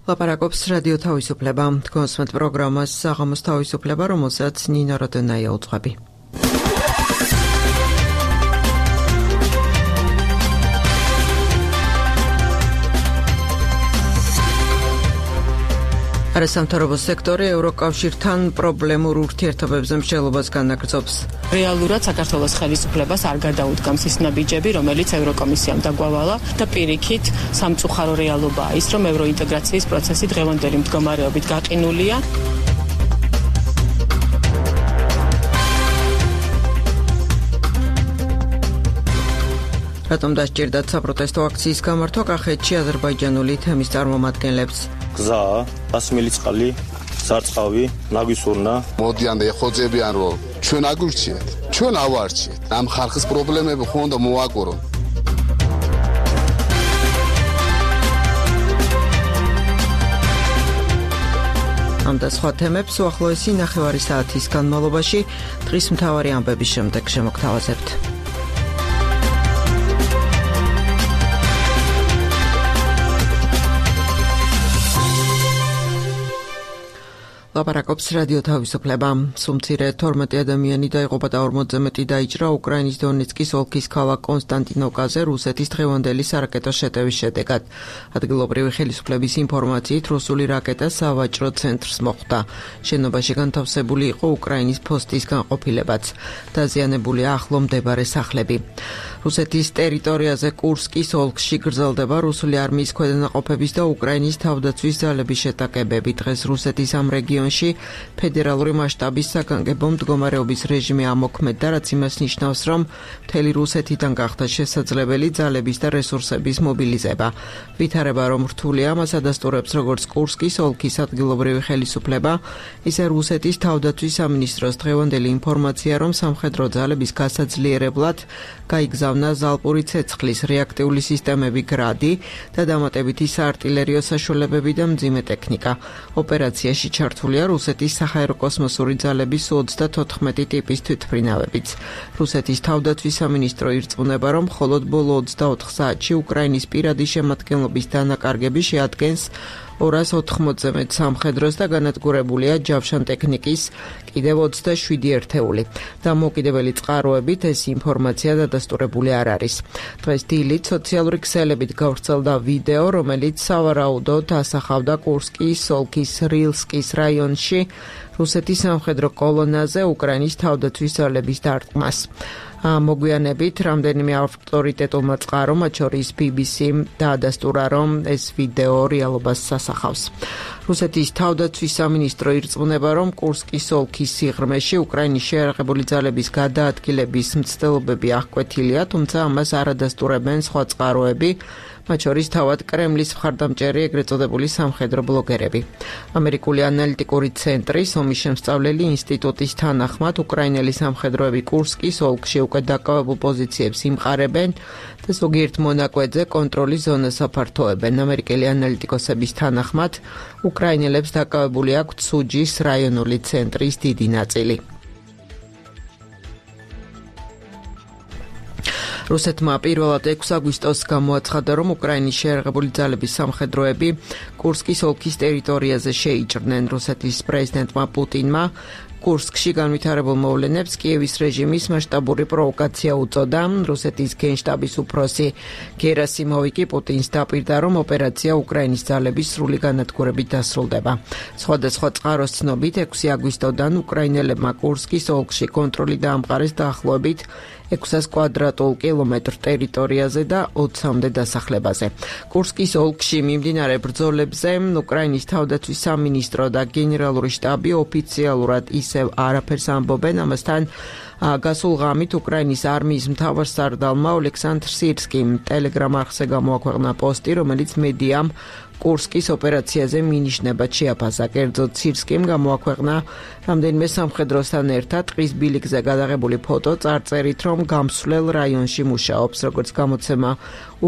ლაპარაკობს რადიო თავისუფლება. კონსმეთ პროგრამას საღამოს თავისუფლება, რომელსაც ნინო როდონაია უძღვები. არასამთავრობო სექტორი ევროკავშირთან პრობლემურ ურთიერთობებზე მსჯელობას განაგრძობს. რეალურად საქართველოს ხელისუფლებას არ გადაუდგამს ის ნაბიჯები, რომელიც ევროკომისიამ დაგვავალა და პირიქით სამწუხარო რეალობაა ის, რომ ევროინტეგრაციის პროცესი დღევანდელი მდგომარეობით გაყინულია. რატომ დასჭირდათ საპროტესტო აქციის გამართვა კახეთში აზერბაიჯანული თემის წარმომადგენლებს? გზა, 100 მილი წყალი, სარწყავი, ნაგვისურნა. მოდიან და ეხოძებიან, რომ ჩვენ აგურჩიეთ, ჩვენ ავარჩიეთ. ამ ხალხის პრობლემები ხო უნდა მოაკურონ. ამ და სხვა თემებს უახლოესი ნახევარი საათის განმავლობაში დღის მთავარი ამბების შემდეგ შემოგთავაზებთ. ლაპარაკობს რადიო თავისუფლება. სუმცირე 12 ადამიანი დაიღუპა და 40-ზე მეტი დაიჭრა უკრაინის დონეცკის ოლქის ქალაქ კონსტანტინოვკაზე რუსეთის დღევანდელი სარაკეტო შეტევის შედეგად. ადგილობრივი ხელისუფლების ინფორმაციით, რუსული რაკეტა სავაჭრო ცენტრს მოხვდა. შენობაში განთავსებული იყო უკრაინის ფოსტის განყოფილებაც. დაზიანებულია ახლო მდებარე სახლები. რუსეთის ტერიტორიაზე კურსკის ოლქში გრძელდება რუსული არმიის ქვედანაყოფების და უკრაინის თავდაცვის ძალების შეტაკებები. დღეს რუსეთის ამ რეგიონში ფედერალური მასშტაბის საგანგებო მდგომარეობის რეჟიმი ამოქმედდა, რაც იმას ნიშნავს, რომ მთელი რუსეთიდან გახდა შესაძლებელი ძალების და რესურსების მობილიზება. ვითარება, რომ რთულია, მას ადასტურებს როგორც კურსკის ოლქის ადგილობრივი ხელისუფლება, ისე რუსეთის თავდაცვის სამინისტროს დღევანდელი ინფორმაცია, რომ სამხედრო ძალების გასაძლიერებლად გაიგზავნა ზალპური ცეცხლის რეაქტიული სისტემები გრადი და დამატებითი საარტილერიო საშუალებები და მძიმე ტექნიკა. ოპერაციაში ჩართულია რუსეთის საჰაეროკოსმოსური ძალების 34 ტიპის თვითმფრინავებიც. რუსეთის თავდაცვის სამინისტრო ირწმუნება, რომ მხოლოდ ბოლო 24 საათში უკრაინის პირადი შემადგენლობის დანაკარგები შეადგენს 280-ზე მეტ სამხედროს და განადგურებულია ჯავშან ტექნიკის კიდევ 27 ერთეული. დამოუკიდებელი წყაროებით ეს ინფორმაცია დადასტურებული არ არის. დღეს დილით სოციალური ქსელებით გავრცელდა ვიდეო, რომელიც სავარაუდოდ ასახავდა კურსკის ოლქის რილსკის რაიონში რუსეთის სამხედრო კოლონაზე უკრაინის თავდაცვის ძალების დარტყმას. მოგვიანებით რამდენიმე ავტორიტეტულმა წყარომ, მათ შორის BBC-მ დაადასტურა, რომ ეს ვიდეო რეალობას ასახავს. რუსეთის თავდაცვის სამინისტრო ირწმუნება, რომ კურსკის ოლქის სიღრმეში უკრაინის შეიარაღებული ძალების გადაადგილების მცდელობები აღკვეთილია, თუმცა ამას არ ადასტურებენ სხვა წყაროები, მათ შორის თავად კრემლის მხარდამჭერი ეგრეთ წოდებული სამხედრო ბლოგერები. ამერიკული ანალიტიკური ცენტრის ომის შემსწავლელი ინსტიტუტის თანახმად, უკრაინელი სამხედროები კურსკის ოლქში უკვე დაკავებულ პოზიციებს იმყარებენ და ზოგიერთ მონაკვეთზე კონტროლის ზონას აფართოებენ. ამერიკელი ანალიტიკოსების თანახმად, უკრაინელებს დაკავებული აქვთ სუჯის რაიონული ცენტრის დიდი ნაწილი. რუსეთმა პირველად 6 აგვისტოს გამოაცხადა, რომ უკრაინის შეიარაღებული ძალების სამხედროები კურსკის ოლქის ტერიტორიაზე შეიჭრნენ. რუსეთის პრეზიდენტმა პუტინმა კურსკში განვითარებულ მოვლენებს კიევის რეჟიმის მასშტაბური პროვოკაცია უწოდა. რუსეთის გენშტაბის უფროსი გერასიმოვი კი პუტინს დაპირდა, რომ ოპერაცია უკრაინის ძალების სრული განადგურებით დასრულდება. სხვადასხვა წყაროს ცნობით 6 აგვისტოდან უკრაინელებმა კურსკის ოლქში კონტროლი დაამყარეს დაახლოებით 600 კვადრატულ კილომეტრ ტერიტორიაზე და 20-მდე დასახლებაზე. კურსკის ოლქში მიმდინარე ბრძოლებზე უკრაინის თავდაცვის სამინისტრო და გენერალური შტაბი ოფიციალურად ისევ არაფერს ამბობენ, ამასთან გასულ ღამით უკრაინის არმიის მთავარსარდალმა ოლექსანდრ სირსკიმ ტელეგრამ არხზე გამოაქვეყნა პოსტი, რომელიც მედიამ კურსკის ოპერაციაზე მინიშნებად შეაფასა. კერძოდ სირსკიმ გამოაქვეყნა რამდენიმე სამხედროსთან ერთად ტყის ბილიკზე გადაღებული ფოტო, წარწერით, რომ გამსვლელ რაიონში მუშაობს. როგორც გამოცემა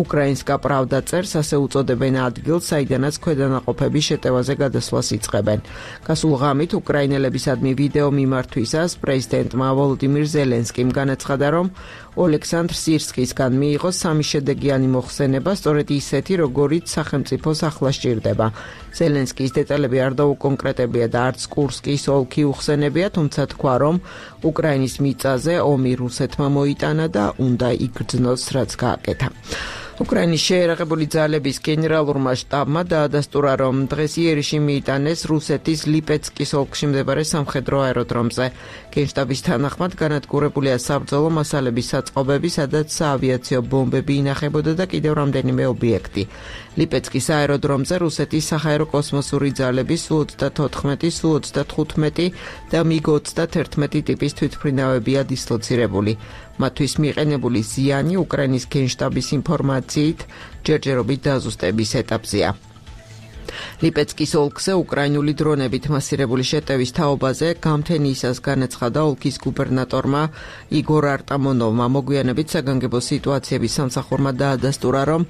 უკრაინსკა პრავდა წერს, ასე უწოდებენ ადგილს, საიდანაც ქვედანაყოფების შეტევაზე გადასვლას იწყებენ. გასულ ღამით უკრაინელებისადმი ვიდეო მიმართვისას პრეზიდენტმა ვოლოდიმირ ზელენსკიმ განაცხადა, რომ ოლექსანდრ სირსკისგან მიიღო 3 შედეგიანი მოხსენება, სწორედ ისეთი, როგორიც სახელმწიფოს ახლა სჭირდება. ზელენსკის დეტალები არ დაუკონკრეტებია და არც კურსკის ოლქი უხსენებია, თუმცა თქვა, რომ უკრაინის მიწაზე ომი რუსეთმა მოიტანა და უნდა იგრძნოს, რაც გააკეთა. უკრაინის შეერაღებული ძალების გენერალურმა შტაბმა დაადასტურა, რომ დღეს იერიში მიიტანეს რუსეთის ლიპეცკის ოლქში მდებარე სამხედრო აეროდრომზე. გენშტაბის თანახმად განადგურებულია საბრძოლო მასალების საწყობები, სადაც საავიაციო ბომბები ინახებოდა და კიდევ რამდენიმე ობიექტი. ლიპეცკის აეროდრომზე რუსეთის საჰაერო კოსმოსური ძალების Su-34, Su-35 და MiG-31 ტიპის თვითმფრინავებია დისლოცირებული. მათთვის მიყენებული ზიანი უკრაინის გენშტაბის ინფორმაციით ჯერჯერობით დაზუსტების ეტაპზეა. ლიპეცკის ოლქზე უკრაინული დრონებით მასირებული შეტევის თაობაზე გამთენიისას განაცხადა ოლქის გუბერნატორმა იგორ არტამონოვმა. მოგვიანებით საგანგებო სიტუაციების სამსახურმა დაადასტურა, რომ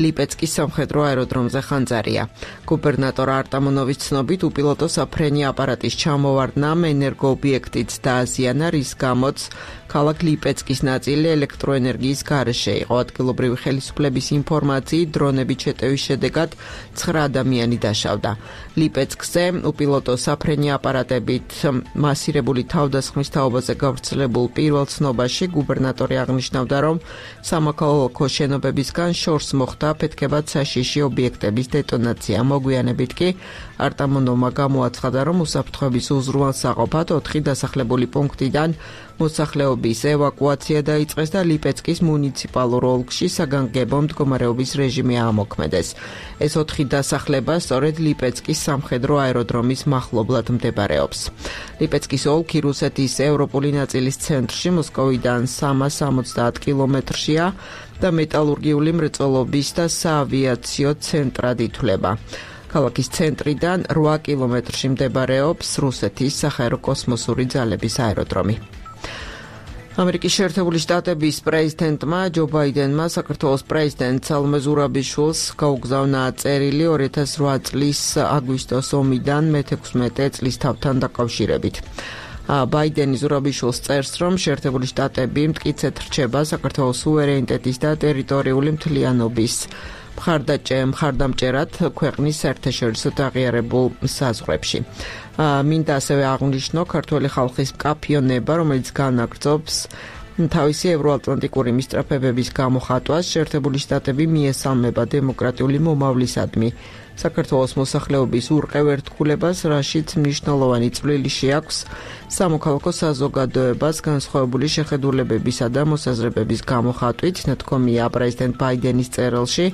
ლიპეცკის სამხედრო აეროდრომზე ხანძარია. გუბერნატორ არტამონოვის ცნობით უპილოტო საფრენი აპარატის ჩამოვარდნამ ენერგოობიექტიც დააზიანა, რის გამოც ქალაქ ლიპეცკის ნაწილი ელექტროენერგიის გარეშე იყო. ადგილობრივი ხელისუფლების ინფორმაციით დრონებით შეტევის შედეგად 9 ადამიანი დაშავდა. ლიპეცკზე უპილოტო საფრენი აპარატებით მასირებული თავდასხმის თაობაზე გავრცელებულ პირველ ცნობაში გუბერნატორი აღნიშნავდა, რომ სამოქალაქო შენობებისგან შორს მოხდა ფეთქებად საშიში ობიექტების დეტონაცია. მოგვიანებით კი არტამონოვმა გამოაცხადა, რომ უსაფრთხოების უზრუნველსაყოფად 4 დასახლებული პუნქტიდან მოსახლეობის ევაკუაცია დაიწყეს და ლიპეცკის მუნიციპალურ ოლქში საგანგებო მდგომარეობის რეჟიმი ამოქმედეს. ეს 4 დასახლება სწორედ ლიპეცკის სამხედრო აეროდრომის მახლობლად მდებარეობს. ლიპეცკის ოლქი რუსეთის ევროპული ნაწილის ცენტრში, მოსკოვიდან 370 კილომეტრშია და მეტალურგიული მრეწველობის და საავიაციო ცენტრად ითვლება. ქალაქის ცენტრიდან 8 კილომეტრში მდებარეობს რუსეთის საჰაერო კოსმოსური ძალების აეროდრომი. ამერიკის შეერთებული შტატების პრეზიდენტმა ჯო ბაიდენმა საქართველოს პრეზიდენტ სალომე ზურაბიშვილს გაუგზავნა წერილი 2008 წლის აგვისტოს ომიდან მე-16 წლის თავთან დაკავშირებით. ბაიდენი ზურაბიშვილს წერს, რომ შეერთებული შტატები მტკიცედ რჩება საქართველოს სუვერენიტეტის და ტერიტორიული მთლიანობის მხარდამჭერად ქვეყნის საერთაშორისო აღიარებულ საზღვრებში. მინდა ასევე აღვნიშნო ქართველი ხალხის მკაფიონება, რომელიც განაგრძობს თავისი ევროატლანტიკური მისწრაფებების გამოხატვას. შეერთებული შტატები მიესალმება დემოკრატიული მომავლისადმი საქართველოს მოსახლეობის ურყევერთქულებას, რაშიც მნიშვნელოვანი წვლილი შეაქვს სამოქალაქო საზოგადოებას განსხვავებული შეხედულებებისა და მოსაზრებების გამოხატვით, ნათქვამია პრეზიდენტ ბაიდენის წერილში.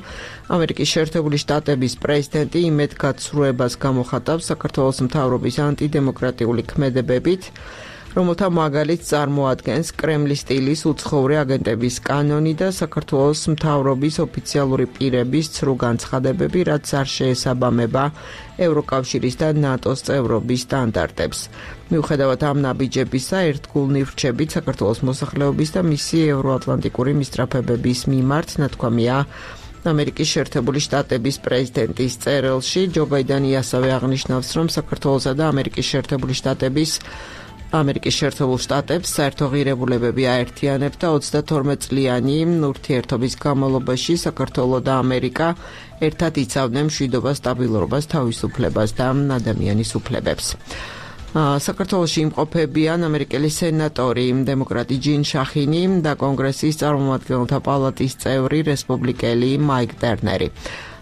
ამერიკის შეერთებული შტატების პრეზიდენტი იმედგაცრუებას გამოხატავს საქართველოს მთავრობის ანტიდემოკრატიული ქმედებებით, რომელთა მაგალითს წარმოადგენს კრემლის სტილის უცხოური აგენტების კანონი და საქართველოს მთავრობის ოფიციალური პირების ცრუ განცხადებები, რაც არ შეესაბამება ევროკავშირის და ნატოს წევრობის სტანდარტებს. მიუხედავად ამ ნაბიჯებისა, ერთგულნი ვრჩებით საქართველოს მოსახლეობის და მისი ევროატლანტიკური მისწრაფებების მიმართ, ნათქვამია ამერიკის შეერთებული შტატების პრეზიდენტის წერილში. ჯო ბაიდენი ასევე აღნიშნავს, რომ საქართველოსა და ამერიკის შეერთებული შტატებს საერთო ღირებულებები აერთიანებს და 32 წლიანი ურთიერთობის განმავლობაში საქართველო და ამერიკა ერთად იცავდნენ მშვიდობას, სტაბილურობას, თავისუფლებას და ადამიანის უფლებებს. საქართველოში იმყოფებიან ამერიკელი სენატორი, დემოკრატი ჯინ შახინი და კონგრესის წარმომადგენელთა პალატის წევრი რესპუბლიკელი მაიკ ტერნერი.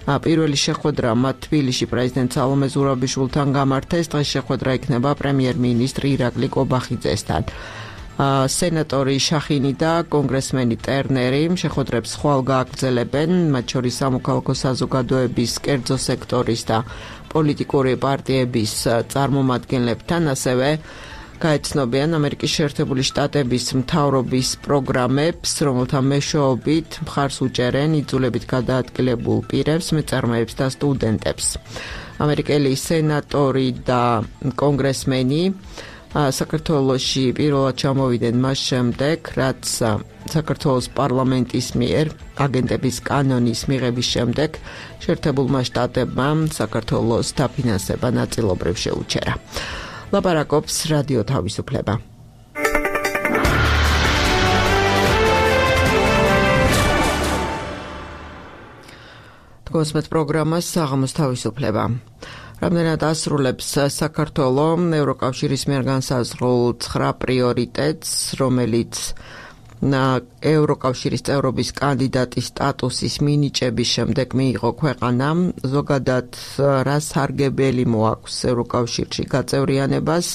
პირველი შეხვედრა მათ თბილისში პრეზიდენტ სალომე ზურაბიშვილთან გამართეს. დღეს შეხვედრა იქნება პრემიერ-მინისტრ ირაკლი კობახიძესთან. სენატორი შახინი და კონგრესმენი ტერნერი შეხვედრებს ხვალ გააგრძელებენ, მათ შორის სამოქალაქო საზოგადოების, კერძო სექტორის და პოლიტიკური პარტიების წარმომადგენლებთან, ასევე გაეცნობიან ამერიკის შეერთებული შტატების მთავრობის პროგრამებს, რომელთა მეშვეობით მხარს უჭერენ იძულებით გადაადგილებულ პირებს, მეწარმეებს და სტუდენტებს. ამერიკელი სენატორი და კონგრესმენი საქართველოში პირველად ჩამოვიდნენ მას შემდეგ, რაც საქართველოს პარლამენტის მიერ აგენტების კანონის მიღების შემდეგ შეერთებულმა შტატებმა საქართველოს დაფინანსება ნაწილობრივ შეუჩერა. ლაპარაკობს რადიო თავისუფლება. გოსმეთ პროგრამას საღამოს თავისუფლება. რამდენად ასრულებს საქართველოს ევროკავშირის მიერ განსაზღვრულ 9 პრიორიტეტს, რომელიც ევროკავშირის წევრობის კანდიდატის სტატუსის მინიჭების შემდეგ მიიღო ქვეყანამ, ზოგადად რა სარგებელი მოაქვს ევროკავშირში გაწევრიანებას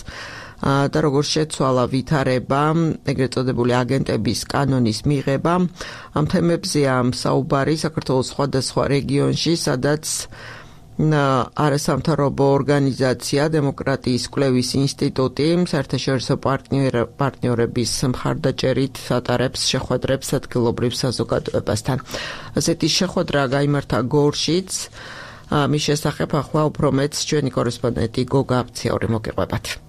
და როგორ შეცვალა ვითარება, ეგრეთ წოდებული აგენტების კანონის მიღება. ამ თემებზეა საუბარი საქართველოს სხვადასხვა რეგიონში, სადაც არასამთავრობო ორგანიზაცია დემოკრატიის კვლევის ინსტიტუტი საერთაშორისო პარტნიორების მხარდაჭერით ატარებს შეხვედრებს ადგილობრივ საზოგადოებასთან. ასეთი შეხვედრა გაიმართა გორშიც. მის შესახებ ახლა უფრო მეტს ჩვენი კორესპონდენტი გოგა აფციური მოგიყვებათ.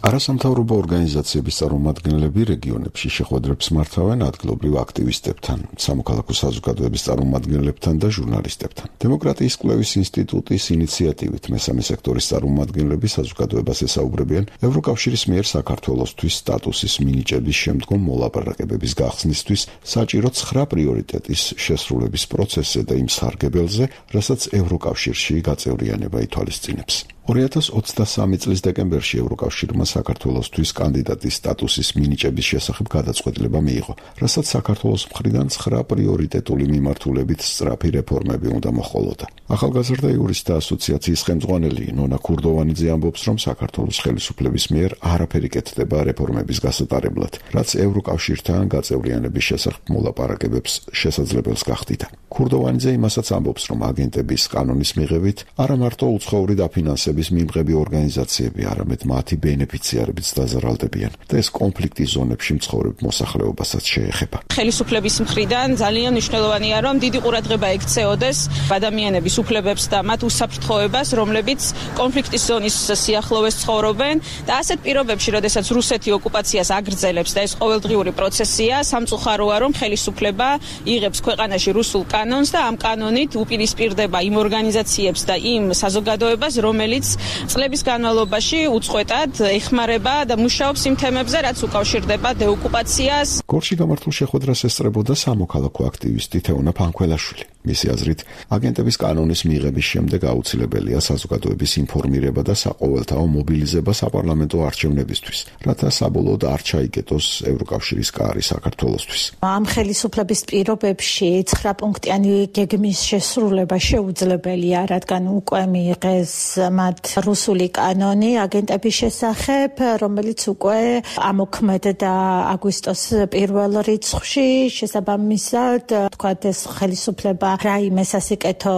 არასამთავრობო ორგანიზაციების წარმომადგენლები რეგიონებში შეხვედრებს მართავენ ადგილობრივ აქტივისტებთან, სამოქალაქო საზოგადოების წარმომადგენლებთან და ჟურნალისტებთან. დემოკრატიის კვლევის ინსტიტუტის ინიციატივით მესამე სექტორის წარმომადგენლები საზოგადოებას ესაუბრებიან ევროკავშირის მიერ საქართველოსთვის სტატუსის მინიჭების შემდგომ მოლაპარაკებების გახსნისთვის საჭირო 9 პრიორიტეტის შესრულების პროცესზე და იმ სარგებელზე, რასაც ევროკავშირში გაწევრიანება ითვალისწინებს. 2023 წლის დეკემბერში ევროკავშირმა საქართველოსთვის კანდიდატის სტატუსის მინიჭების შესახებ გადაწყვეტილება მიიღო, რასაც საქართველოს მხრიდან 9 პრიორიტეტული მიმართულებით სწრაფი რეფორმები უნდა მოჰყოლოდა. ახალგაზრდა იურისტთა ასოციაციის ხელმძღვანელი ნონა ქურდოვანიძე ამბობს, რომ საქართველოს ხელისუფლების მიერ არაფერი კეთდება რეფორმების გასატარებლად, რაც ევროკავშირთან გაწევრიანების შესახებ მოლაპარაკებებს შესაძლებელს გახდიდა. ქურდოვანიძე იმასაც ამბობს, რომ აგენტების კანონის მიღებით არა მარტო უცხოური დაფინანსება მიმღები ორგანიზაციები, არამედ მათი ბენეფიციარებიც დაზარალდებიან და ეს კონფლიქტის ზონებში მცხოვრებ მოსახლეობასაც შეეხება. ხელისუფლების მხრიდან ძალიან მნიშვნელოვანია, რომ დიდი ყურადღება ექცეოდეს ადამიანების უფლებებს და მათ უსაფრთხოებას, რომლებიც კონფლიქტის ზონის სიახლოვეს ცხოვრობენ და ასეთ პირობებში, როდესაც რუსეთი ოკუპაციას აგრძელებს და ეს ყოველდღიური პროცესია, სამწუხაროა, რომ ხელისუფლება იღებს ქვეყანაში რუსულ კანონს და ამ კანონით უპირისპირდება იმ ორგანიზაციებს და იმ საზოგადოებას, რომელიც წლების განმავლობაში უწყვეტად ეხმარება და მუშაობს იმ თემებზე, რაც უკავშირდება დეოკუპაციას. გორში გამართულ შეხვედრას ესწრებოდა სამოქალაქო აქტივისტი თეონა ფანქველაშვილი. მისი აზრით, აგენტების კანონის მიღების შემდეგ აუცილებელია საზოგადოების ინფორმირება და საყოველთაო მობილიზება საპარლამენტო არჩევნებისთვის, რათა საბოლოოდ არ ჩაიგეთოს ევროკავშირის კარი საქართველოსთვის. ამ ხელისუფლების პირობებში 9 პუნქტიანი გეგმის შესრულება შეუძლებელია, რადგან უკვე მიიღეს მათ რუსული კანონი აგენტების შესახებ, რომელიც უკვე ამოქმედდა აგვისტოს პირველ რიცხვში. შესაბამისად, თქვათ ეს ხელისუფლება რაიმე სასიკეთო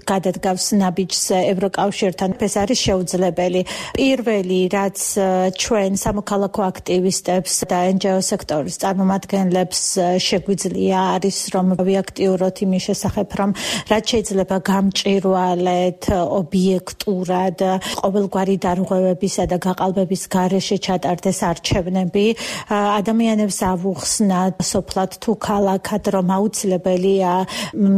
გადადგავს ნაბიჯს ევროკავშირთან, ეს არის შეუძლებელი. პირველი, რაც ჩვენ სამოქალაქო აქტივისტებს და NGO სექტორის წარმომადგენლებს შეგვიძლია, არის რომ ვიაქტიუროთ იმის შესახებ, რომ რაც შეიძლება გამჭვირვალეთ ობიექტურად ყოველგვარი დარღვევებისა და გაყალბების გარეშე ჩატარდეს არჩევნები, ადამიანებს ავუხსნათ სოფლად თუ ქალაქად, რომ აუცილებელია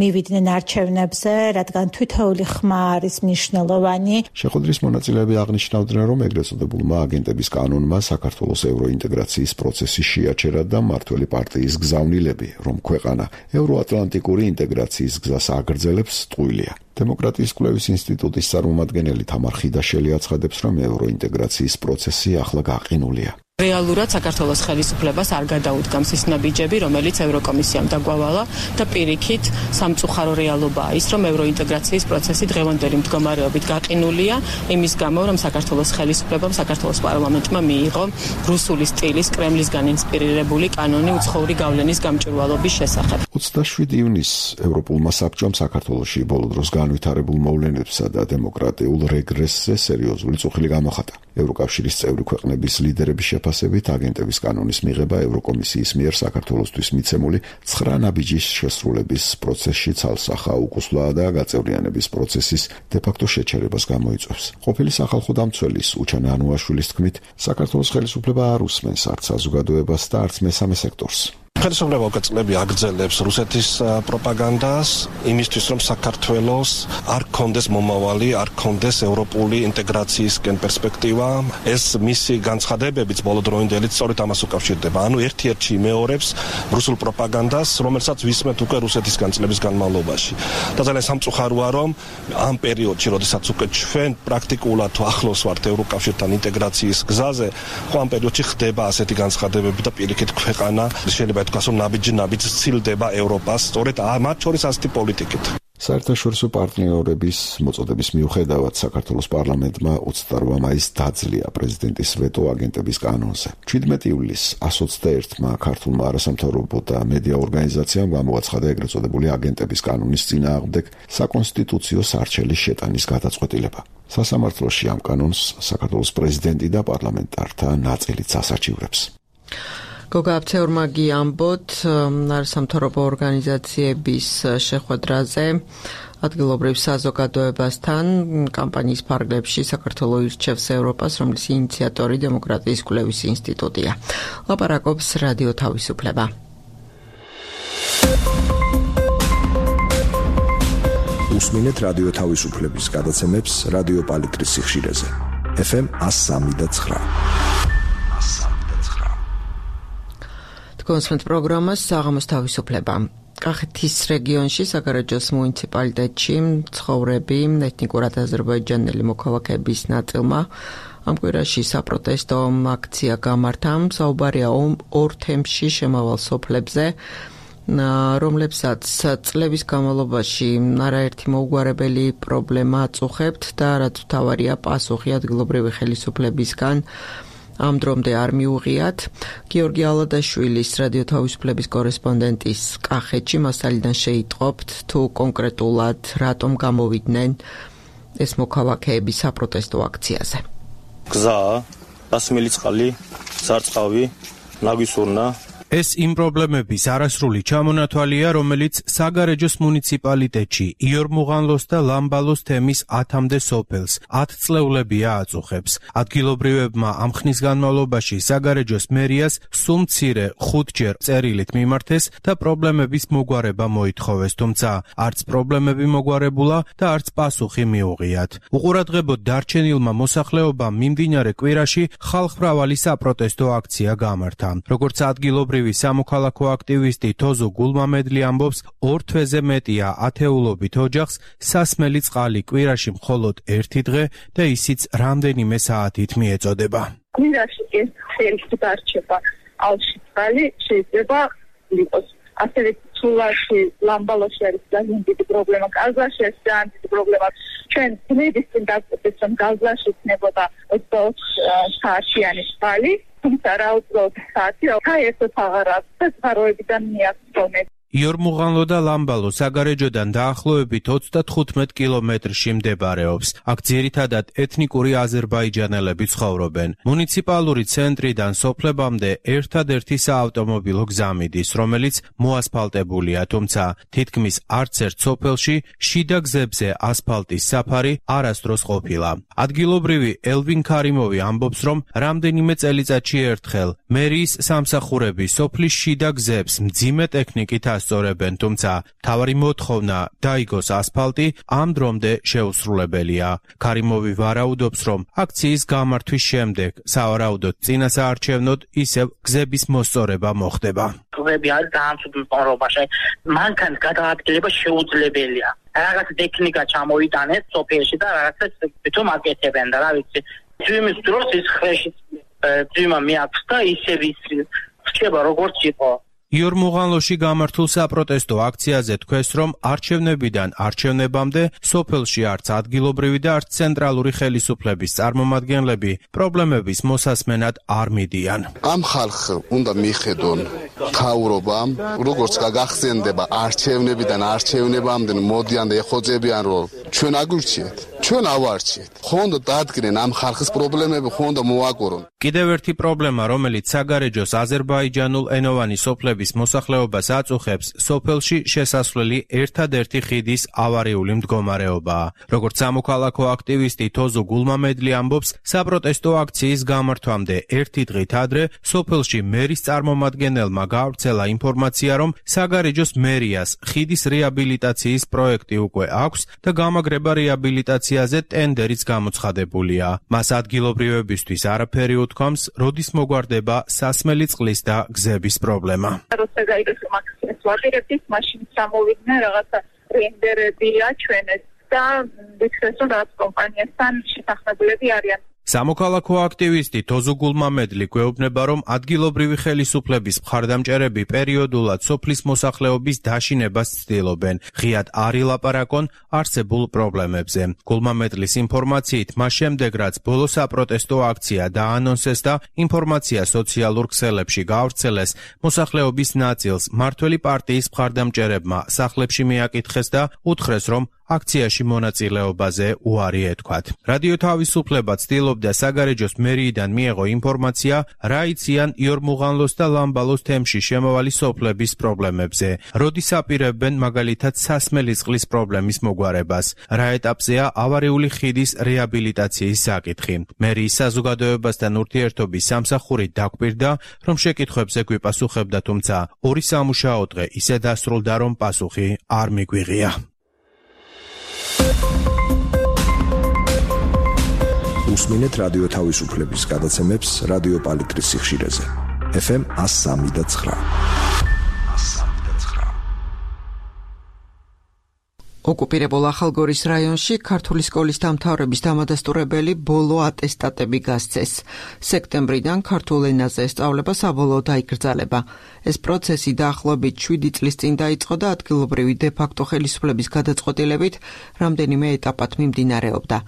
მივიდნენ არჩევნებზე, რადგან თითოეული ხმა არის მნიშვნელოვანი. შეხვედრის მონაწილეები აღნიშნავდნენ, რომ ეგრეთ წოდებულმა აგენტების კანონმა საქართველოს ევროინტეგრაციის პროცესი შეაჩერა და მმართველი პარტიის გზავნილები, რომ ქვეყანა ევროატლანტიკური ინტეგრაციის გზას აგრძელებს, ტყუილია. დემოკრატიის კვლევის ინსტიტუტის წარმომადგენელი თამარ ხიდაშელი აცხადებს, რომ ევროინტეგრაციის პროცესი ახლა გაყინულია. რეალურად საქართველოს ხელისუფლებას არ გადაუდგამს ის ნაბიჯები, რომელიც ევროკომისიამ დაგვალა და პირიქით სამწუხარო რეალობაა ის, რომ ევროინტეგრაციის პროცესი დღევანდელი მდგომარეობით გაყინულია, იმის გამო, რომ საქართველოს ხელისუფლებამ საქართველოს პარლამენტმა მიიღო რუსული სტილის კრემლისგან ინსპირირებული კანონი უცხოური გავლენის გამჭვირვალობის შესახებ. 27 ივნისს ევროპულმა საბჭომ საქართველოში ბოლო დროს განვითარებულ მოვლენებსა და დემოკრატიულ რეგრესზე სერიოზული წუხილი გამოხატა. ევროკავშირის წევრი ქვეყნების ლიდერების შეფასებით აგენტების კანონის მიღება ევროკომისიის მიერ საქართველოსთვის მიცემული 9 ნაბიჯის შესრულების პროცესში ცალსახა უკუსლაა და გაწევრიანების პროცესის დე-ფაქტო შეჩერებას გამოიწვევს. ყოფილი სახალხო დამცველის უჩანა ანუაშვილის თქმით, საქართველოს ხელისუფლება არ უსმენს არც საზოგადოებას და არც მესამე სექტორს. ხელისუფლება უკვე წლები აგრძელებს რუსეთის პროპაგანდას იმისთვის რომ საქართველოს არ გქონდეს მომავალი, არ გქონდეს ევროპული ინტეგრაციისკენ პერსპექტივა. ეს მისი განცხადებებიც ბოლოდროინდელი სწორედ ამას უკავშირდება. ანუ ერთ-ერთი იმეორებს რუსულ პროპაგანდას, რომელსაც ვისმენთ უკვე რუსეთისგან წლების განმავლობაში. და ძალიან სამწუხაროა, რომ ამ პერიოდში, როდესაც უკვე ჩვენ პრაქტიკულად ახლოს ვართ ევროკავშირთან ინტეგრაციის გზაზე, ხო ამ პერიოდში ხდება ასეთი განცხადებები და პირიქით ქვეყანა შეიძლება ითქვას, რომ ნაბიჯ ცილდება ევროპას, სწორედ მათ შორის ასეთი პოლიტიკით. საერთაშორისო პარტნიორების მოწოდების მიუხედავად საქართველოს პარლამენტმა 28 მაისს დაძლია პრეზიდენტის ვეტო აგენტების კანონზე. 17 ივლისს 121-მა ქართულმა არასამთავრობო და მედია ორგანიზაციამ გამოაცხადა ეგრეთ წოდებული აგენტების კანონის წინააღმდეგ საკონსტიტუციო სარჩელის შეტანის გადაწყვეტილება. სასამართლოში ამ კანონს საქართველოს პრეზიდენტი და პარლამენტართა ნაწილიც ასაჩივრებს. გოგა აფცეურმაგი ამბოთ არასამთავრობო ორგანიზაციების შეხვედრაზე ადგილობრივ საზოგადოებასთან კამპანიის ფარგლებში საქართველოს ირჩევს ევროპას, რომლის ინიციატორი დემოკრატიის კვლევის ინსტიტუტია. ლაპარაკობს რადიო თავისუფლება. უსმინეთ რადიო თავისუფლების გადაცემებს რადიო პალიტრის სიხშირეზე. FM 103.9. კონსვენთ პროგრამას საღამოს თავისუფლება. კახეთის რეგიონში საგარეჯოს მუნიციპალიტეტში მცხოვრები ეთნიკურად აზერბაიჯანელი მოქალაქეების ნაწილმა ამ კვირაში საპროტესტო აქცია გამართა. საუბარია ორ თემში შემავალ სოფლებზე, რომლებსაც წლების განმავლობაში არაერთი მოუგვარებელი პრობლემა აწუხებთ და რაც მთავარია პასუხი ადგილობრივი ხელისუფლებისგან ამ დრომდე არ მიუღიათ. გიორგი ალადაშვილის რადიო თავისუფლების კორესპონდენტის კახეთში მასალიდან შეიტყობთ თუ კონკრეტულად რატომ გამოვიდნენ ეს მოქალაქეები საპროტესტო აქციაზე. გზა, გასმელი წყალი, სარწყავი, ნაგვისურნა ეს იმ პრობლემების არასრული ჩამონათვალია, რომელიც საგარეჯოს მუნიციპალიტეტში იორმუღანლოს და ლამბალოს თემის 10-მდე სოფელს 10 წლეულებია აწუხებს. ადგილობრივებმა ამ ხნის განმავლობაში საგარეჯოს მერიას სულ მცირე 5ჯერ წერილით მიმართეს და პრობლემების მოგვარება მოითხოვეს, თუმცა არც პრობლემები მოგვარებულა და არც პასუხი მიუღიათ. უყურადღებოდ დარჩენილმა მოსახლეობამ მიმდინარე კვირაში ხალხმრავალი საპროტესტო აქცია გამართა. როგორც ადგილობრივი სამოქალაქო აქტივისტი თოზო გულმამედლი ამბობს, 2 თვეზე მეტია ათეულობით ოჯახს სასმელი წყალი კვირაში მხოლოდ 1 დღე და ისიც რამდენიმე საათით მიეწოდება. კვირაში ეს ხელი დარჩება ალში წყალი შეიძლება იყოს. ასევე ცულაში, ლამბალოში არის ძალიან დიდი პრობლემა, გაზაში არის ძალიან დიდი პრობლემა. ჩვენ ძნების წინ დაგვწევთ, რომ გაზაში იქნებოდა 24 საათიანი წყალი. თუმცა რაუწოდ საათი საერთოდ აღარ აქვს და წყაროებიდან მიაღწევთ. იორმუღანლო და ლამბალო საგარეჯოდან დაახლოებით 35 კილომეტრში მდებარეობს. აქ ძირითადად ეთნიკური აზერბაიჯანელები ცხოვრობენ. მუნიციპალური ცენტრიდან სოფლებამდე ერთადერთი საავტომობილო გზა მიდის, რომელიც მოასფალტებულია, თუმცა თითქმის არც ერთ სოფელში შიდა გზებზე ასფალტის საფარი არასდროს ყოფილა. ადგილობრივი ელვინ ქარიმოვი ამბობს, რომ რამდენიმე წელიწადში ერთხელ მერიის სამსახურები სოფლის შიდა გზებს მძიმე ტექნიკით ასწორებენ, თუმცა მთავარი მოთხოვნა დაიგოს ასფალტი ამ დრომდე შეუსრულებელია. ქარიმოვი ვარაუდობს, რომ აქციის გამართვის შემდეგ სავარაუდოდ წინასაარჩევნოდ ისევ გზების მოსწორება მოხდება. გზები არის დაამცუდი მყარობაში. მანქანის გადაადგილება შეუძლებელია. რაღაც ტექნიკა ჩამოიტანეს სოფელში და რაღაცა თვითონ აკეთებენ და რა ვიცი. ძვიმის დროს ის ხრეში ძვიმა მიაქვს და ისევ ის რჩება როგორც იყო. იორმუღანლოში გამართულ საპროტესტო აქციაზე თქვეს, რომ არჩევნებიდან არჩევნებამდე სოფელში არც ადგილობრივი და არც ცენტრალური ხელისუფლების წარმომადგენლები პრობლემების მოსასმენად არ მიდიან. ამ ხალხს უნდა მიხედონ მთავრობამ, როგორც გაგახსენდება არჩევნებიდან არჩევნებამდე მოდიან და ეხოძებიან, რომ ჩვენ აგურჩიეთ. ჩვენ ავარჩიეთ. ხონდო დადგნენ ამ ხალხის პრობლემები, ხონდო მოაკურონ. კიდევ ერთი პრობლემა, რომელიც საგარეჯოს აზერბაიჯანულ ენოვანი სოფლების მოსახლეობას აწუხებს, სოფელში შესასვლელი ერთადერთი ხიდის ავარიული მდგომარეობაა. როგორც სამოქალაქო აქტივისტი თოზუ გულმამედლი ამბობს, საპროტესტო აქციის გამართვამდე ერთი დღით ადრე სოფელში მერის წარმომადგენელმა გაავრცელა ინფორმაცია, რომ საგარეჯოს მერიას ხიდის რეაბილიტაციის პროექტი უკვე აქვს და გამაგრება რეაბილიტაციაზე ტენდერიც გამოცხადებულია. მას ადგილობრივებისთვის არაფერი უთქვამს, როდის მოგვარდება სასმელი წყლის და გზების პრობლემა. როცა გაიგეს მაქსიმს ვაღირებთ, მაშინ სამოვიდნენ რაღაცა რენდერები აჩვენეს და ვიქცეს, რომ რაღაც კომპანიასთან შეთანხმებულები არიან. სამოქალაქო აქტივისტი თოზუ გულმამედლი გვეუბნება, რომ ადგილობრივი ხელისუფლების მხარდამჭერები პერიოდულად სოფლის მოსახლეობის დაშინებას ცდილობენ, ღიად არ ილაპარაკონ არსებულ პრობლემებზე. გულმამედლის ინფორმაციით, მას შემდეგ რაც ბოლო საპროტესტო აქცია დაანონსეს და ინფორმაცია სოციალურ ქსელებში გაავრცელეს, მოსახლეობის ნაწილს მმართველი პარტიის მხარდამჭერებმა სახლებში მიაკითხეს და უთხრეს, რომ აქციაში მონაწილეობაზე უარი ეთქვათ. რადიო თავისუფლება ცდილობდა საგარეჯოს მერიიდან მიეღო ინფორმაცია, რა იციან იორმუღანლოს და ლამბალოს თემში შემავალი სოფლების პრობლემებზე, როდის აპირებენ მაგალითად სასმელი წყლის პრობლემის მოგვარებას, რა ეტაპზეა ავარიული ხიდის რეაბილიტაციის საკითხი. მერიის საზოგადოებასთან ურთიერთობის სამსახური დაგვირდა, რომ შეკითხვებზე გვიპასუხებდა, თუმცა ორი სამუშაო დღე ისე დასრულდა, რომ პასუხი არ მიგვიღია. უსმინეთ რადიო თავისუფლების გადაცემებს რადიო პალიტრის სიხშირეზე. FM 103.9. ოკუპირებულ ახალგორის რაიონში ქართული სკოლის დამთავრების დამადასტურებელი ბოლო ატესტატები გასცეს. სექტემბრიდან ქართულ ენაზე სწავლება საბოლოოდ დაიკრძალება. ეს პროცესი დაახლოებით 7 წლის წინ დაიწყო და ადგილობრივი დე-ფაქტო ხელისუფლების გადაწყვეტილებით რამდენიმე ეტაპად მიმდინარეობდა.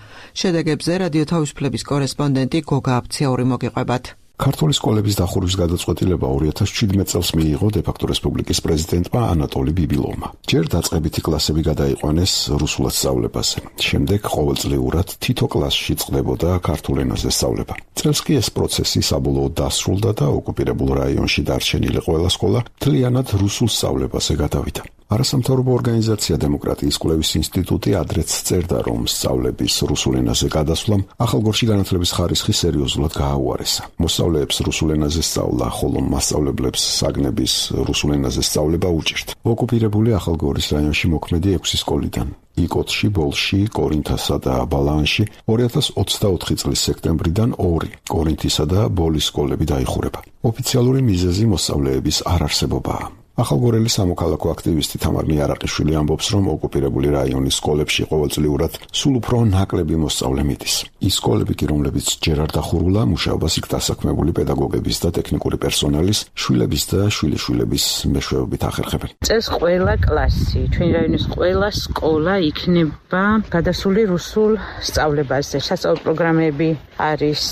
შედეგებზე რადიო თავისუფლების კორესპონდენტი გოგა აფციაური მოგიყვებათ. ქართული სკოლების დახურვის გადაწყვეტილება 2017 წელს მიიღო დე-ფაქტო რესპუბლიკის პრეზიდენტმა ანატოლი ბიბილოვმა. ჯერ დაწყებითი კლასები გადაიყვანეს რუსულად სწავლებაზე. შემდეგ ყოველწლიურად თითო კლასში წყდებოდა ქართულ ენაზე სწავლება. წელს კი ეს პროცესი საბოლოოდ დასრულდა და ოკუპირებულ რაიონში დარჩენილი ყველა სკოლა მთლიანად რუსულ სწავლებაზე გადავიდა. არასამთავრობო ორგანიზაცია დემოკრატიის კვლევის ინსტიტუტი ადრეც წერდა, რომ სწავლების რუსულ ენაზე გადასვლამ ახალგორში განათლების ხარისხი სერიოზულად გააუარესა. მოსწავლეებს რუსულ ენაზე სწავლა, ხოლო მასწავლებლებს საგნების რუსულ ენაზე სწავლება უჭირთ. ოკუპირებული ახალგორის რაიონში მოქმედი 6 სკოლიდან იკოტში, ბოლში, კორინთასა და ბალაანში 2024 წლის სექტემბრიდან 2 კორინთისა და ბოლის სკოლები დაიხურება. ოფიციალური მიზეზი მოსწავლეების არ არსებობაა. ახალგორელი სამოქალაქო აქტივისტი თამარ მიარაყიშვილი ამბობს, რომ ოკუპირებული რაიონის სკოლებში ყოველწლიურად სულ უფრო ნაკლები მოსწავლე მიდის. ის სკოლები კი, რომლებიც ჯერ არ დახურულა, მუშაობას იქ დასაქმებული პედაგოგების და ტექნიკური პერსონალის, შვილების და შვილიშვილების მეშვეობით ახერხებენ. წელს ყველა კლასი, ჩვენი რაიონის ყველა სკოლა იქნება გადასული რუსულ სწავლებაზე. სასწავლო პროგრამები არის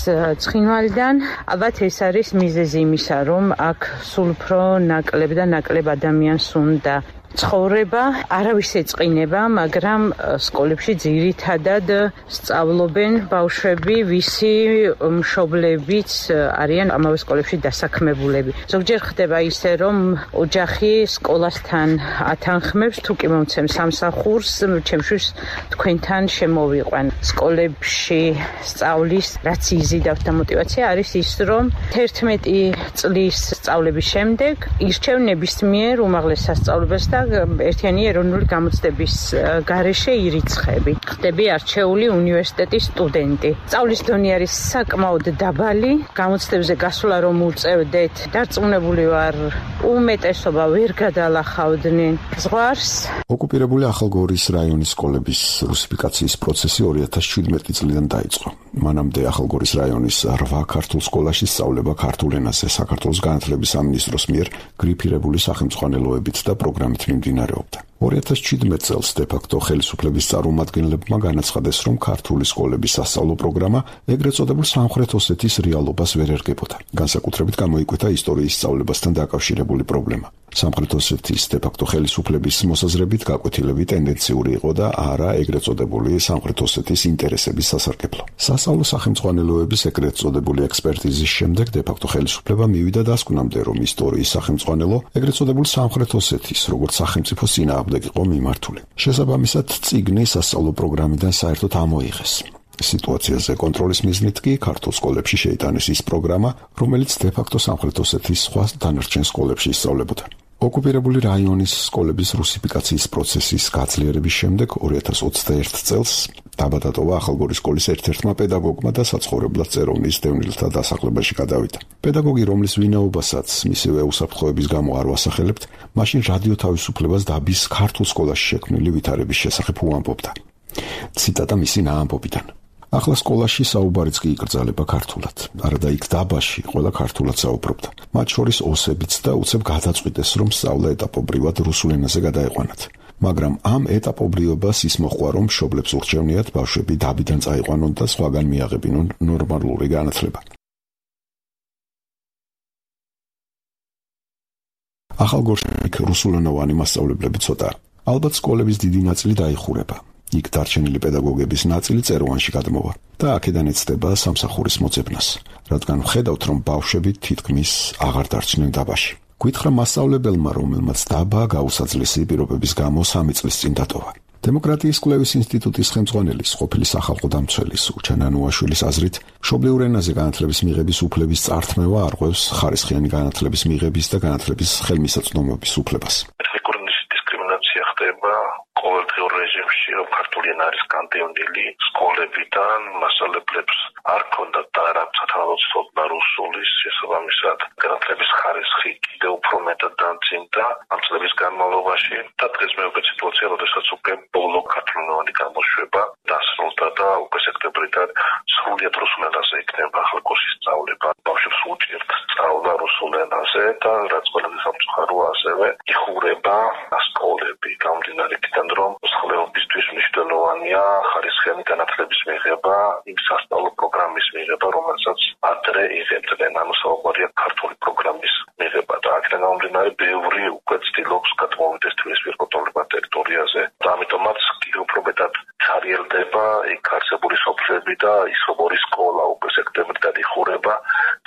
ცხინვალიდან. ალბათ ეს არის მიზეზი იმისა, რომ აქ სულ უფრო ნაკლები და ნაკლები ადამიანს უნდა ცხოვრება, არავის ეწყინება, მაგრამ სკოლებში ძირითადად სწავლობენ ბავშვები, ვისი მშობლებიც არიან ამავე სკოლებში დასაქმებულები. ზოგჯერ ხდება ისე, რომ ოჯახი სკოლასთან ათანხმებს, თუ კი მომცემ სამსახურს, ჩემშვილს თქვენთან შემოვიყვან. სკოლებში სწავლის რაც იზიდავთ და мотиваცია არის ის, რომ 11 წლის სწავლების შემდეგ ირჩევ ნებისმიერ უმაღლეს სასწავლებლებს და ერთიანი ეროვნული გამოცდების გარეშე ირიცხები. ხდები არჩეული უნივერსიტეტის სტუდენტი. სწავლის დონე არის საკმაოდ დაბალი. გამოცდებზე გასვლა რომ უწევდეთ, დარწმუნებული ვარ, უმეტესობა ვერ გადალახავდნენ ზღვარს. ოკუპირებული ახალგორის რაიონის სკოლების რუსიფიკაციის პროცესი 2017 წლიდან დაიწყო. მანამდე ახალგორის რაიონის 8 ქართულ სკოლაში სწავლება ქართულ ენაზე საქართველოს განათლების სამინისტროს მიერ გრიფირებული სახელმძღვანელოებით და პროგრამით მიმდინარეობდა. 2017 წელს დე-ფაქტო ხელისუფლების წარმომადგენლებმა განაცხადეს, რომ ქართული სკოლების სასწავლო პროგრამა ეგრეთ წოდებულ სამხრეთ ოსეთის რეალობას ვერ ერგებოდა. განსაკუთრებით გამოიკვეთა ისტორიის სწავლებასთან დაკავშირებული პრობლემა. სამხრეთ ოსეთის დე-ფაქტო ხელისუფლების მოსაზრებით გაკვეთილები ტენდენციური იყო და არა ეგრეთ წოდებული სამხრეთ ოსეთის ინტერესების სასარგებლო. სასწავლო სახელმძღვანელოების ეგრეთ წოდებული ექსპერტიზის შემდეგ დე-ფაქტო ხელისუფლება მივიდა დასკვნამდე, რომ ისტორიის სახელმძღვანელო ეგრეთ წოდებულ სამხრეთ osეთის როგორც სახელმწიფო წინააღმდეგ იყო მიმართული. შესაბამისად, წიგნი სასწავლო პროგრამიდან საერთოდ ამოიღეს. სიტუაციაზე კონტროლის მიზნით კი ქართულ სკოლებში შეიტანეს ის პროგრამა, რომელიც დე-ფაქტო სამხრეთ osეთის სხვა დანარჩენ სკოლებში ისწავლებოდა. ოკუპირებული რაიონის სკოლების რუსიფიკაციის პროცესის გაძლიერების შემდეგ 2021 წელს დაბადატოვა ახალგორის სკოლის ერთ-ერთმა პედაგოგმა და საცხოვრებლად წეროვნის დევნილთა დასახლებაში გადავიდა. პედაგოგი, რომლის ვინაობასაც მისივე უსაფრთხოების გამო არ ვასახელებთ, მაშინ რადიო თავისუფლებას დაბის ქართულ სკოლაში შექმნილი ვითარების შესახებ უამბობდა. ციტატა მისი ნაამბობიდან. ახლა სკოლაში საუბარიც კი იკრძალება ქართულად. არადა იქ დაბაში ყველა ქართულად საუბრობდა. მათ შორის ოსებიც და უცებ გადაწყვიტეს, რომ სწავლა ეტაპობრივად რუსულ ენაზე გადაეყვანათ. მაგრამ ამ ეტაპობრიობას ის მოჰყვა, რომ მშობლებს ურჩევნიათ ბავშვები დაბიდან წაიყვანონ და სხვაგან მიაღებინონ ნორმალური განათლება. ახალგორში რუსულენოვანი მასწავლებლები ცოტა. ალბათ სკოლების დიდი ნაწილი დაიხურება. იქ დარჩენილი პედაგოგების ნაწილი წეროვანში გადმოვა და აქედან ეცდება სამსახურის მოძებნას, რადგან ვხედავთ, რომ ბავშვები თითქმის აღარ დარჩნენ დაბაში. გითხრა მასწავლებელმა, რომელმაც დაბა გაუსაძლისი პირობების გამო 3 წლის წინ დატოვა. დემოკრატიის კვლევის ინსტიტუტის ხელმძღვანელის, ყოფილი სახალხო დამცველის ურჩან ანუაშვილის აზრით, მშობლიურ ენაზე განათლების მიღების უფლების წართმევა არღვევს ხარისხიანი განათლების მიღების და განათლების ხელმისაწვდომობის უფლებას. დისკრიმინაცია ხდება ყოველდღიურ რეჟიმში, რომ ქართული ენა არის განდევნილი სკოლებიდან, მასწავლებლებს არ ქონდათ და არ ცოთალოცობდა რუსულის, შესაბამისად განათლების ხარისხი კიდევ უფრო მეტად დამძიმდა ამ წლების განმავლობაში და დღეს მეუღე სიტუაცია, როდესაც უკვე ბოლო ქართულენოვანი გამოშვება დასრულდა და უკვე სექტემბრიდან სრულიად რუსულ ენაზე იქნება ახალგორში სწავლება. ბავშვებს უჭირთ სწავლა რუსულ ენაზე და რაც ყველაზე სამწუხაროა, ასევე იხურება სკოლები გამომდინარე იქიდან, რომ მსხლეობისთვის მნიშვნელოვანია ხარისხიანი განათლების მიღება, იმ სასწავლო პროგრამის მიღება, რომელსაც ადრე იღებდნენ, ანუ საუბარია ქართული პროგრამის მიღება და აქედან გამომდინარე ბევრი უკვე ცდილობს გადმოვიდეს თბილისის კონტროლებად ტერიტორიაზე და ამიტომაც კიდევ უფრო მეტად ჩარიელდება იქ არსებული სოფლები და ის როგორი სკოლა უკვე სექტემბრიდან იხურება,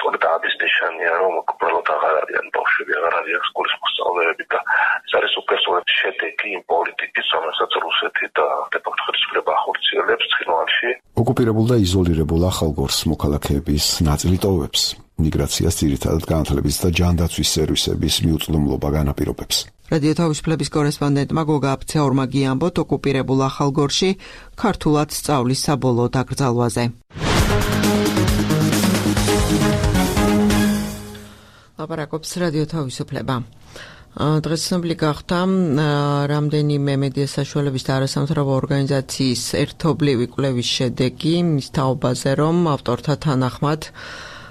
თუმცა ამის ნიშანია, რომ უბრალოდ აღარ არიან ბავშვები, აღარ არიან სკოლის მოსწავლეები და ეს არის უკვე სწორედ შედეგი იმ პოლიტიკის, რომელსაც რუსეთი და დე-ფაქტო ხელისუფლება ახორციელებს ცხინვალში. ოკუპირებულ და იზოლირებულ ახალგორს მოქალაქეების ნაწილი ტოვებს. მიგრაციას ძირითადად განათლების და ჯანდაცვის სერვისების მიუწვდომლობა განაპირობებს. რადიო თავისუფლების კორესპონდენტმა გოგა აფცეორმა გიამბოთ ოკუპირებულ ახალგორში ქართულად სწავლის საბოლოო დაკრძალვაზე. ლაპარაკობს რადიო თავისუფლება. დღეს ცნობილი გახდა რამდენიმე მედია საშუალების და არასამთავრობო ორგანიზაციის ერთობლივი კვლევის შედეგი მის თაობაზე, რომ ავტორთა თანახმად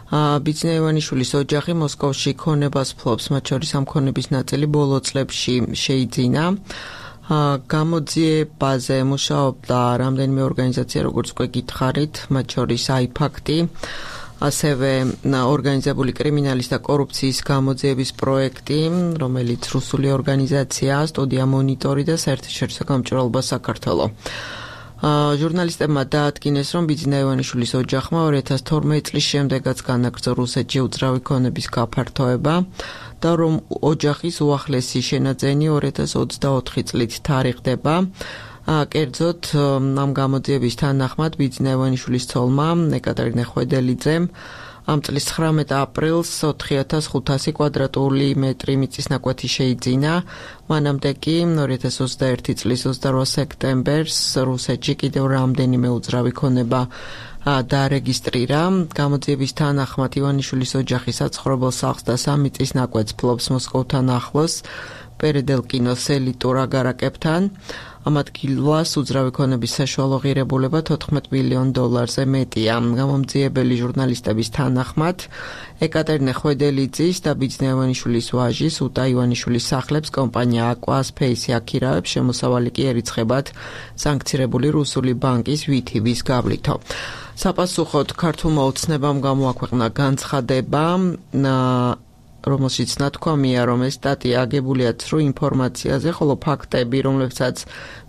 ბიძინა ივანიშვილის ოჯახი მოსკოვში ქონებას ფლობს, მათ შორის ამ ქონების ნაწილი ბოლო წლებში შეიძინა. გამოძიებაზე მუშაობდა რამდენიმე ორგანიზაცია, როგორც უკვე გითხარით, მათ შორის აიფაქტი, ასევე ორგანიზებული კრიმინალის და კორუფციის გამოძიების პროექტი, რომელიც რუსული ორგანიზაცია, სტუდია მონიტორი და საერთაშორისო გამჭვირვალობა საქართველო. ჟურნალისტებმა დაადგინეს, რომ ბიძინა ივანიშვილის ოჯახმა 2012 წლის შემდეგაც განაგრძო რუსეთში უძრავი ქონების გაფართოება და რომ ოჯახის უახლესი შენაძენი 2024 წლით თარიღდება. კერძოდ ამ გამოძიების თანახმად ბიძინა ივანიშვილის ცოლმა ეკატერინე ხვედელიძემ ამ წლის 19 აპრილს 4500 კვადრატული მეტრი მიწის ნაკვეთი შეიძინა. მანამდე კი 2021 წლის 28 სექტემბერს რუსეთში კიდევ რამდენიმე უძრავი ქონება დაარეგისტრირა. გამოძიების თანახმად ივანიშვილის ოჯახი საცხოვრებელ სახლს და 3 მიწის ნაკვეთს ფლობს მოსკოვთან ახლოს. პერედელკინოს ელიტურ აგარაკებთან. ამ ადგილას უძრავი ქონების საშუალო ღირებულება $14 მილიონ მეტია. გამომძიებელი ჟურნალისტების თანახმად, ეკატერინე ხვედელიძის და ბიძინა ივანიშვილის ვაჟის უტა ივანიშვილის სახლებს კომპანია აკვა-სპეისი აქირავებს, შემოსავალი კი ერიცხებათ სანქცირებული რუსული ბანკის VTB-ის გავლითო. საპასუხოდ ქართულმა ოცნებამ გამოაქვეყნა განცხადება, რომელშიც ნათქვამია, რომ ეს სტატია აგებულია ცრუ ინფორმაციაზე, ხოლო ფაქტები, რომლებსაც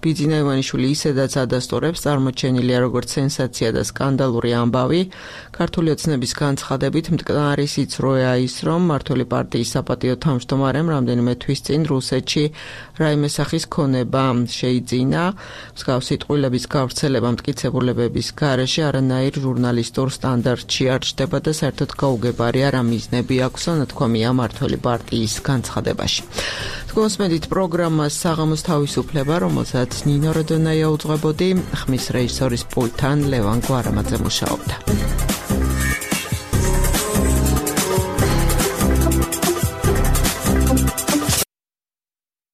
ბიძინა ივანიშვილი ისედაც ადასტურებს, წარმოჩენილია როგორც სენსაცია და სკანდალური ამბავი. ქართული ოცნების განცხადებით მტკნარი სიცრუეა ის, რომ მმართველი პარტიის საპატიო თავმჯდომარემ რამდენიმე თვის წინ რუსეთში რაიმე სახის ქონება შეიძინა. მსგავსი ტყუილების გავრცელება მტკიცებულებების გარეშე არანაირ ჟურნალისტურ სტანდარტში არ ჩნდება და საერთოდ გაუგებარია რა მიზნები აქვსო, ნათქვამია მმართველი პარტიის განცხადებაში. თქვენსმენით პროგრამას საღამოს თავისუფლება, რომელსაც ნინო როდონაია უძღვებოდი, ხმის რეჟისორის პულტთან ლევან გვარამაძე მუშაობდა.